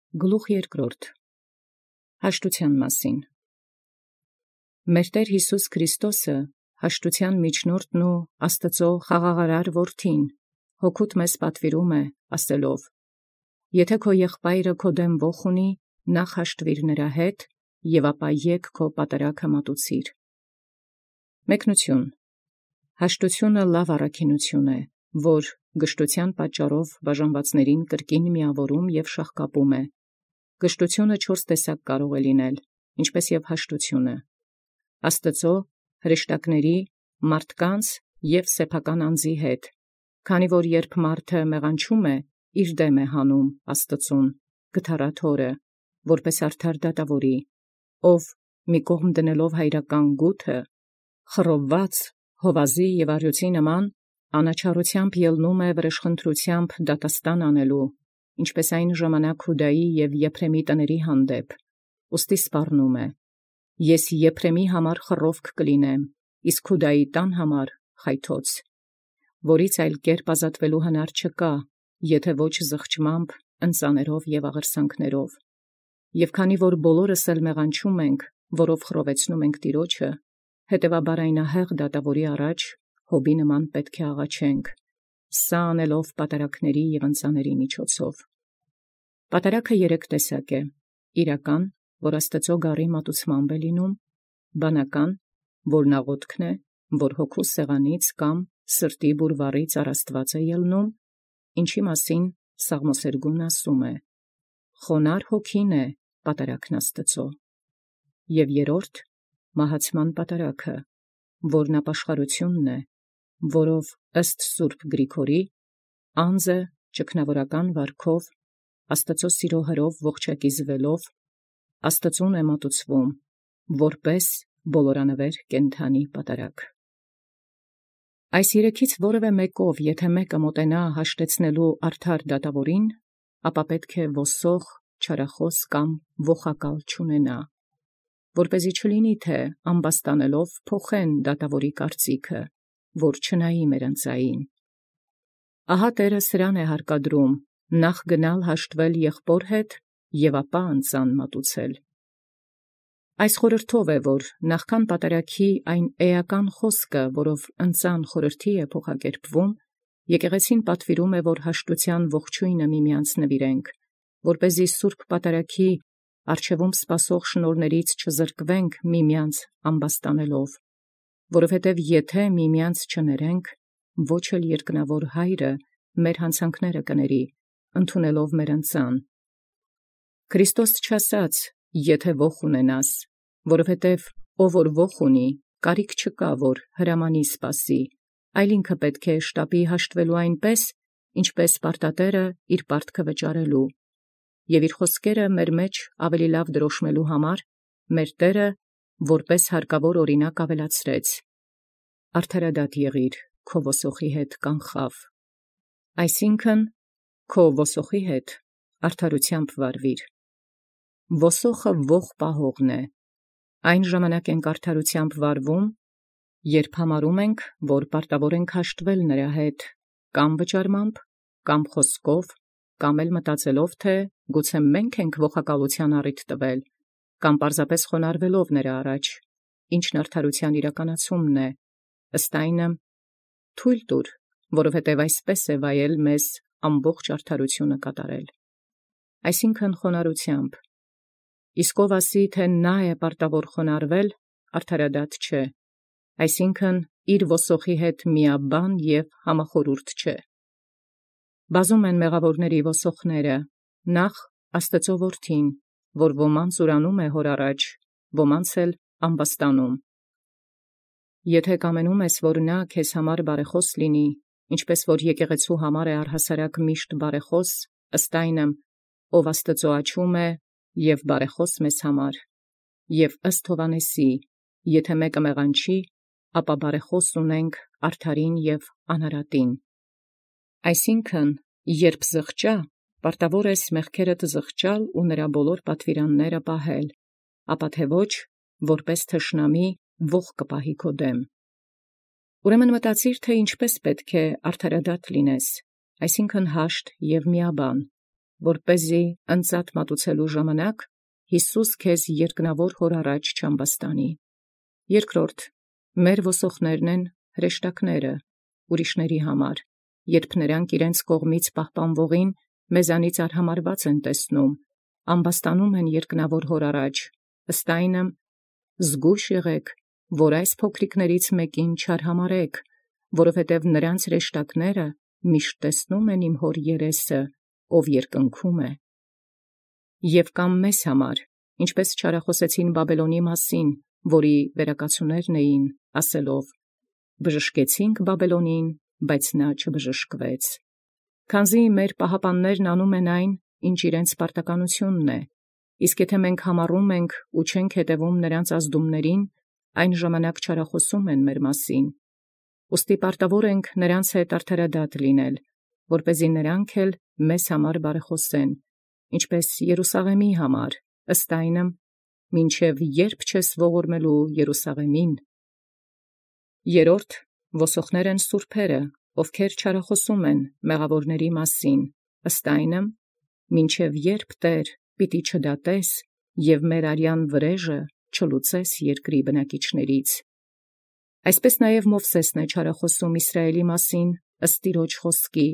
Գլուխ երկրորդ. Հաշտութեան մասին։ Մեր Տէր Յիսուս Քրիստոսը, հաշտութեան միջնորդն ու Աստուծոյ խաղաղարար որդին, հոգուտ մեզ պատվիրում է, ասելով. Եթէ քո եղբայրը քո դեմ ոխ ունի, նախ հաշտվիր նրա հետ, և ապա եկ քո պատարագը մատուցիր։ Մեկնություն. Հաշտութիւնը լավ առաքինութիւն է, որ գշտութեան պատճառով բաժանվածներին կրկին միաւորում և շաղկապում է։ Գշտութիւնը 4 տեսակ կարող է լինել, ինչպէս և հաշտութիւնը. Աստուծոյ, հրեշտակների, մարդկանց և սեփական անձի հետ, քանի որ երբ մարդը մեղանչում է, իր դեմ է հանում Աստուծուն, գթառաթորը, որպէս արդար դատաւորի, ով մի կողմ դնելով հայրական գութը, խռովված հովազի և առյուծի նման, անաչառութեամբ ելնում է վրեժխնդրութեամբ դատաստան անելու, ինչպէս այն ժամանակ Յուդայի և Եփրեմի տների հանդեպ, ուստի սպառնում է. Ես Եփրեմի համար խռովք կլինեմ, իսկ Յուդայի տան համար խայթոց, որից այլ կերպ ազատվելու հնար չկա, եթէ ոչ զղջմամբ, ընծաներով և աղերսանքներով։ Եւ քանի որ բոլորս էլ մեղանչում ենք, որով խռովեցնում ենք Տիրոջը, հետևաբար այնահեղ դատաւորի առաջ Յոբի նման պետք է աղաչենք, սա անելով պատարագաների և ընծաների միջոցով։ Պատարագը 3 տեսակ է. իրական, որ Աստուծոյ գառի մատուցմամբ է լինում, բանական, որ աղոթքն է, որ հոգու սեղանից կամ սրտի բուրվառից առաստված է ելնում, ինչի մասին Սաղմոսերգուն ասում է. խոնար հոգին է պատարագն Աստուծոյ, և երրորդ, մահացման պատարագը, որն ապաշխարութիւնն է, որով ըստ Սուրբ Գրիգորի, անձը ճգնաւորական վարքով, Աստուծոյ սիրո հրով ողջակիզվելով, Աստուծուն է մատուցվում, որպէս բոլորանվեր կենդանի պատարագ։ Այս 3-ից որևէ մեկով եթէ մեկը մոտենա հաշտեցնելու արդար դատաւորին, ապա պետք է ոսող, չարախաւս կամ ոխակալ չունենա, որպեսզի չլինի թէ ամբաստանելով փոխեն դատաւորի կարծիքը, որ չնայի մեր ընծային։ Ահա Տէրը սրան է հարկադրում նախ գնալ հաշտվել եղբոր հետ և ապա ընծան մատուցել։ Այս խորհրդով է, որ նախքան պատարագի այն էական խոսքը, որով ընծան խորհրդի է փոխակերպվում, եկեղեցին պատվիրում է, որ հաշտութեան ողջոյնը միմեանց նվիրենք, որպեսզի սուրբ պատարագի առջևում սպասող շնորհներից չզրկվենք միմեանց ամբաստանելով, որովհետև եթէ միմեանց չներենք, ոչ էլ երկնավոր Հայրը մեր հանցանքները կների, ընդունելով մեր ընծան։ Քրիստոս չասաց. եթէ ոխ ունենաս, որովհետև ով որ ոխ ունի, կարիք չկա, որ հրամանի սպասի, այլ ինքը պետք է շտապի հաշտվելու այնպես, ինչպես պարտատէրը իր պարտքը վճարելու, և իր խոսքերը մեր մեջ ավելի լավ դրոշմելու համար մեր Տէրը որպես հարկավոր օրինակ ավելացրեց. արդարադատ եղիր, քո ոսոխի հետ կանխաւ, այսինքն քո ոսոխի հետ արդարութեամբ վարվիր։ Ոսոխը ոխ պահողն է, այն ժամանակ ենք արդարութեամբ վարվում, երբ համարում ենք, որ պարտավոր ենք հաշտվել նրա հետ, կամ վճարմամբ, կամ խոսքով, կամ էլ մտածելով, թէ գուցե մենք ենք ոխակալութեան առիթ տվել, կամ պարզապես խոնարհվելով նրա առաջ, ինչն արդարութեան իրականացումն է, ըստ այնմ թույլ տուր, որովհետև այսպես է վայել մեզ ամբողջ արդարութիւնը կատարել։ Այսինքն խոնարհութեամբ, իսկ ով ասի, թէ նա է պարտավոր խոնարհվել, արդարադատ չէ, այսինքն իր ոսոխի հետ միաբան և համախորհուրդ չէ։ Բազում են մեղավորների ոսոխները, նախ Աստուծոյ որդին, որ ոմանց ուրանում է հոր առաջ, ոմանց էլ ամբաստանում։ Եթէ կամենում ես, որ նա քեզ համար բարեխաւս լինի, ինչպէս որ եկեղեցու համար է առհասարակ միշտ բարեխաւս, ըստ այնմ, ով Աստուծոյ աչում է և բարեխաւս մեզ համար, և ըստ Հովհաննեսի, եթէ մեկը մեղանչի, ապա բարեխաւս ունենք արդարին և անարատին։ Այսինքն, երբ զղջա, պարտավոր ես մեղքերդ զղջալ ու նրա բոլոր պատվիրանները պահել, ապա թե ոչ, որպես թշնամի ոխ կպահի քո դեմ։ Ուրեմն մտածիր, թէ ինչպէս պետք է արդարադատ լինես, այսինքն հաշտ և միաբան, որպեսզի ընծատ մատուցելու ժամանակ Յիսուս քեզ երկնավոր հոր առաջ չամբաստանի։ Երկրորդ, մեր ոսոխներն են հրեշտակները ուրիշների համար, երբ նրանք իրենց կողմից պահպանվողին մեզանից արհամարված են տեսնում, ամբաստանում են երկնավոր հոր առաջ, ըստ այնմ զգույշ եղեք, որ այս փոքրիկներից մեկին չարհամարեք, որովհետև նրանց հրեշտակները միշտ տեսնում են իմ հոր երեսը, ով երկնքում է։ Եվ կամ մեզ համար, ինչպես չարախոսեցին Բաբելոնի մասին, որի վերակացուներն էին, ասելով. «Բժշկեցինք Բաբելոնին, բայց նա չբժշկվեց»։ Քանզի մեր պահապաններն անում են այն, ինչ իրենց պարտականությունն է, իսկ եթե մենք համառում ենք ու չենք հետևում նրանց ազդումներին, այն ժամանակ չարախոսում են մեր մասին։ Ուստի պարտավոր ենք նրանց հետ արդարադատ լինել, որպեսզի նրանք էլ մեզ համար բարեխոսեն, ինչպես Երուսաղեմի համար, ըստ այնմ, մինչև երբ չես ողորմելու Երուսաղեմին։ Երորդ, ոսոխներ են սուրբերը, ովքեր չարախոսում են մեղավորների մասին, ըստ այնմ, մինչև երբ Տեր պիտի չդատես և մեր արյան վրեժը չլուծես երկրի բնակիչներից։ Այսպես նաև Մովսեսն է չարախոսում Իսրայելի մասին, ըստ Տիրոջ խոսքի.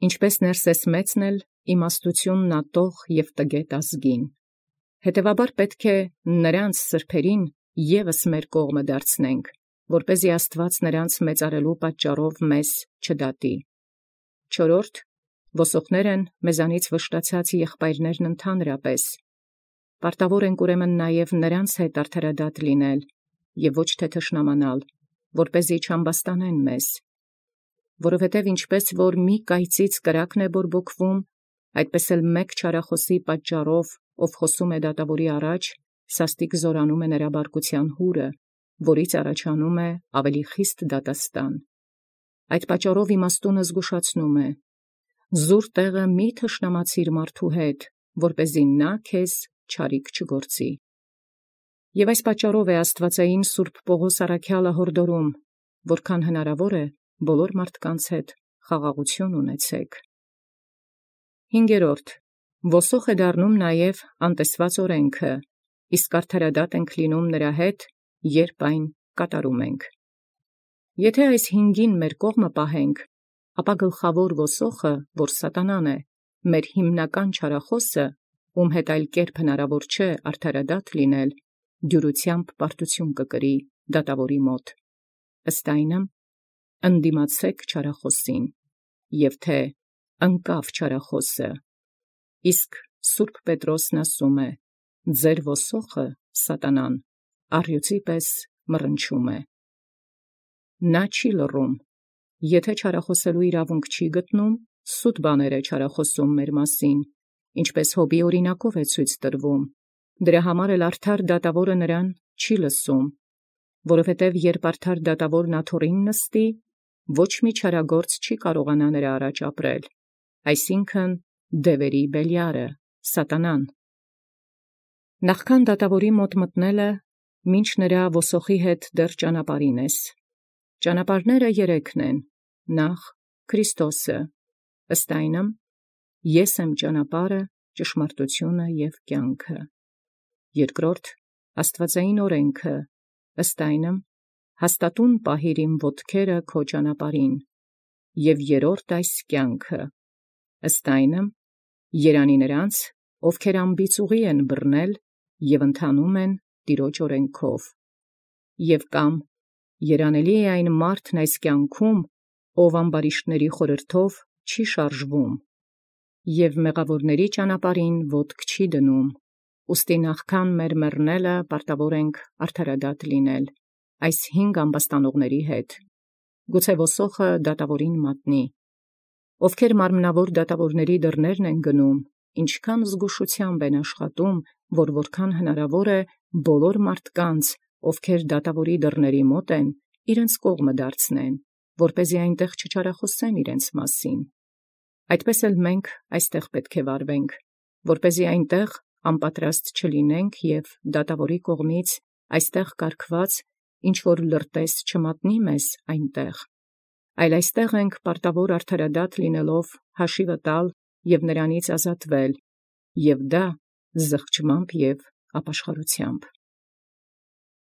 ինչպես Ներսես մեծն էլ իմաստությունն ատող և տգետ ազգին։ Հետևաբար պետք է նրանց սրբերին ևս մեր կողմը դարձնենք, որպեսզի Աստված նրանց մեծարելու պատճառով մեզ չդատի։ Չորրորդ, ոսոխներ են մեզանից վշտացած եղբայրներն ընդհանրապես։ Պարտավոր ենք ուրեմն նաև նրանց հետ արդարադատ լինել և ոչ թե թշնամանալ, որպեսզի չամբաստանեն մեզ։ Որովհետև ինչպես որ մի կայծից կրակն է բորբոքվում, այդպես էլ մեկ չարախոսի պատճառով, ով խոսում է դատավորի առաջ, սաստիկ զորանում է նրա բարկության հուրը, որից առաջանում է ավելի խիստ դատաստան։ Այդ պատճառով իմաստունը զգուշացնում է. զուր տեղը մի թշնամացիր մարդու հետ, որպեսզի նա քեզ չարիք չգործի։ Եվ այս պատճառով է Աստվածային Սուրբ Պողոս առաքյալը հորդորում, որքան հնարավոր է, բոլոր մարդկանց հետ խաղաղություն ունեցեք։ Հինգերորդ, ոսող է դառնում նաև անտեսված օրենքը, իսկ արդարադատ ենք լինում նրա հետ, երբ այն կատարում ենք։ Եթե այս հինգին մեր կողմը պահենք, ապա գլխավոր ոսոխը, որ սատանան է, մեր հիմնական չարախոսը, ում հետ այլ կերպ հնարավոր չէ արդարադատ լինել, դյուրությամբ պարտություն կկրի դատավորի մոտ։ Ըստ այնմ, ընդդիմացեք չարախոսին, և թե ընկավ չարախոսը, իսկ Սուրբ Պետրոսն ասում է. ձեր ոսոխը, սատանան, առյուծի պես մռնչում է։ Նա չի լռում, եթե չարախոսելու իրավունք չի գտնում, սուտ բաներ է չարախոսում մեր մասին, ինչպես Հոբի օրինակով է ցույց տրվում, դրա համար էլ արդար դատավորը նրան չի լսում, որովհետև երբ արդար դատավորն աթոռին նստի, ոչ մի չարագործ չի կարողանա նրա առաջ ապրել, այսինքն դևերի բելյարը, սատանան։ Նախքան դատավորի մոտ մտնելը, մինչ նրա ոսոխի հետ դեռ ճանապարհին ես։ Ճանապարհները երեքն են. նախ Քրիստոսը, ըստ այնմ, ես եմ ճանապարհը, ճշմարտությունը և կյանքը. երկրորդ Աստվածային օրենքը, ըստ այնմ, հաստատուն պահիր իմ ոտքերը քո ճանապարհին, և երրորդ այս կյանքը, ըստ այնմ, երանի նրանց, ովքեր անբիծ ուղի են բռնել և ընթանում են Տիրոջ օրենքով, և կամ երանելի է այն մարդն այս կյանքում, ով ամբարիշտների խորհրդով չի շարժվում և մեղավորների ճանապարհին ոտք չի դնում, ուստի նախքան մեր մեռնելը պարտավոր ենք արդարադատ լինել այս հինգ ամբաստանողների հետ, գուցե ոսոխը դատավորին մատնի, ովքեր մարմնավոր դատավորների դռներն են գնում, ինչքան զգուշությամբ են աշխատում, որ որքան հնարավոր է բոլոր մարդկանց, ովքեր դատավորի դռների մոտ են, իրենց կողմը դարձնեն, որպեսզի այնտեղ չչարախոսեն իրենց մասին։ Այդպես էլ մենք այստեղ պետք է վարվենք, որպեսզի այնտեղ անպատրաստ չլինենք և դատավորի կողմից այստեղ կարգված ինչ որ լրտես չմատնի մեզ այնտեղ, այլ այստեղ ենք պարտավոր արդարադատ լինելով հաշիվը տալ և նրանից ազատվել, և դա զղջմամբ և ապաշխարութեամբ։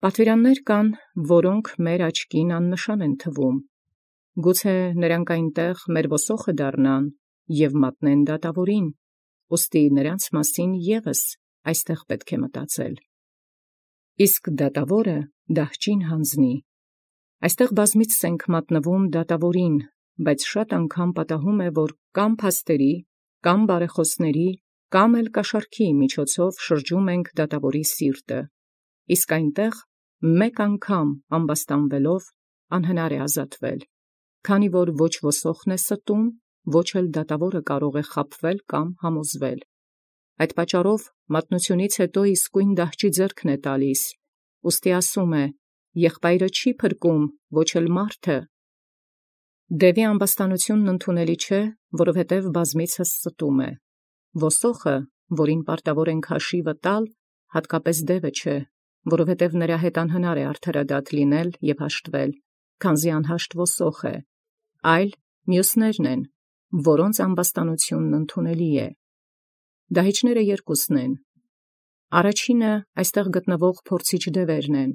Պատուիրաններ կան, որոնք մեր աչքին աննշան են թվում, գուցե նրանք այնտեղ մեր ոսոխը դառնան և մատնեն դատավորին, ուստի նրանց մասին ևս այստեղ պետք է մտածել։ Իսկ դատավորը դահճին հանձնի։ Այստեղ բազմիցս ենք մատնվում դատավորին, բայց շատ անգամ պատահում է, որ կամ փաստերի, կամ բարեխոսների, կամ էլ կաշառքի միջոցով շրջում ենք դատավորի սիրտը, իսկ այնտեղ մեկ անգամ ամբաստանվելով անհնար է ազատվել, քանի որ ոչ ոսոխն է ստում, ոչ էլ դատավորը կարող է խաբվել կամ համոզվել։ Այդ պատճառով մատնությունից հետո իսկույն դահճի ձեռքն է տալիս, ուստի ասում է. «Եղբայրը չի փրկում, ոչ էլ մարդը»։ Դևի ամբաստանությունն ընդունելի չէ, որովհետև բազմիցս ստում է։ Ոսոխը, որին պարտավոր ենք հաշիվը տալ, հատկապես դևը չէ, որովհետև նրա հետ անհնար է արդարադատ լինել և հաշտվել, քանզի անհաշտ ոսող է, այլ մյուսներն են, որոնց ամբաստանությունն ընդունելի է։ Դահիճները երկուսն են. առաջինը այստեղ գտնվող փորձիչ դևերն են,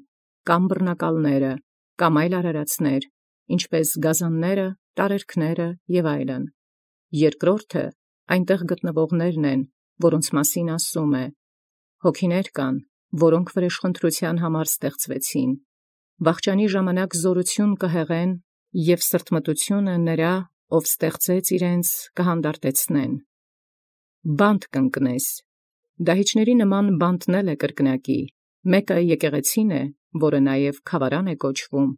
կամ բռնակալները, կամ այլ արարածներ, ինչպես գազանները, տարերքները և այլն։ Երկրորդը այնտեղ գտնվողներն են, որոնց մասին ասում է. հոգիներ կան, որոնք վրեժխնդրության համար ստեղծվեցին, վախճանի ժամանակ զորություն կհեղեն և սրտմտությունը նրա, ով ստեղծեց իրենց, կհանդարտեցնեն։ Բանտ կընկնես։ Դահիճների նման բանտն էլ է կրկնակի, մեկը եկեղեցին է, որը նաև գավառան է կոչվում,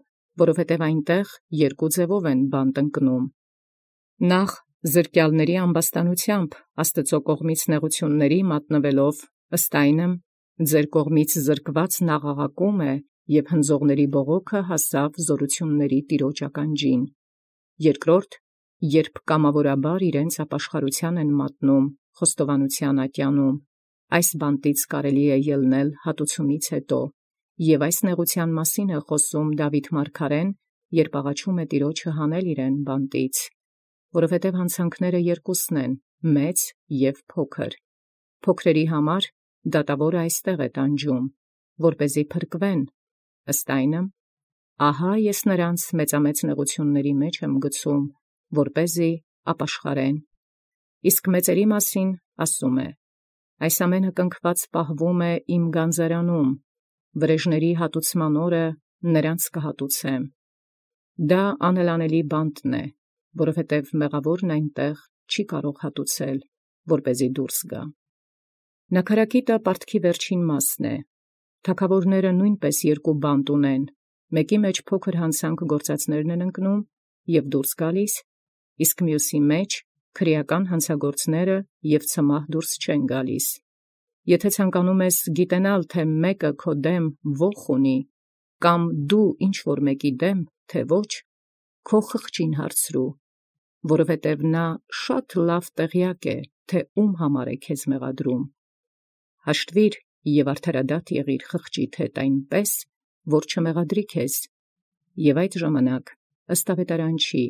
որովհետև այնտեղ երկու ձևով են բանտ ընկնում. նախ զրկյալների ամբաստանությամբ Աստուծո կողմից նեղությունների մատնվելով, ըստ այնմ ձեր կողմից զրկված աղաղակում է, և հնձողների բողոքը հասավ զորությունների Տիրոջ ականջին։ Երկրորդ, երբ կամավորաբար իրենց ապաշխարությանն են մատնում խոստովանության ատյանում, այս բանտից կարելի է ելնել հատուցումից հետո, և այս նեղության մասին է խոսում Դաւիթ մարգարեն, երբ աղաչում է Տիրոջը հանել իրեն բանտից, որովհետև հանցանքները երկուսն են, մեծ և փոքր։ Փոքրերի համար դատավորը այստեղ է տանջում, որպեսզի փրկվեն, ըստ այնմ. ահա ես նրանց մեծամեծ նեղությունների մեջ եմ գցում, որպեսզի ապաշխարեն։ Իսկ մեծերի մասին ասում է. այս ամենը կնքված պահվում է իմ գանձարանում, վրեժների հատուցման օրը նրանց կհատուցեմ։ Դա անելանելի բանտն է, որովհետև մեղավորն այնտեղ չի կարող հատուցել, որպեսզի դուրս գա։ Նաքարակիտը պարտքի վերջին մասն է։ Թագավորները նույնպես երկու բանտ ունեն, մեկի մեջ փոքր հանցանք գործածներն են ընկնում և դուրս գալիս, իսկ մյուսի մեջ քրեական հանցագործները և ցմահ դուրս չեն գալիս։ Եթե ցանկանում ես գիտենալ, թե մեկը քո դեմ ոխ ունի, կամ դու ինչ-որ մեկի դեմ, թե ոչ, քո խղճին հարցրու, որովհետև նա շատ լավ տեղյակ է, թե ում համար է քեզ մեղադրում։ Հաշտվիր և արդարադատ եղիր խղճիդ հետ այնպես, որ չմեղադրի քեզ, և այդ ժամանակ, ըստ ավետարանչի,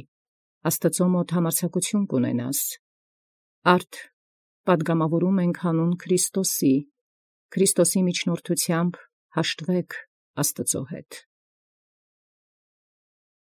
Աստծո մոտ համարձակություն կունենաս։ Արդ պատգամավորում ենք հանուն Քրիստոսի, Քրիստոսի միջնորդությամբ հաշտվեք Աստծո հետ։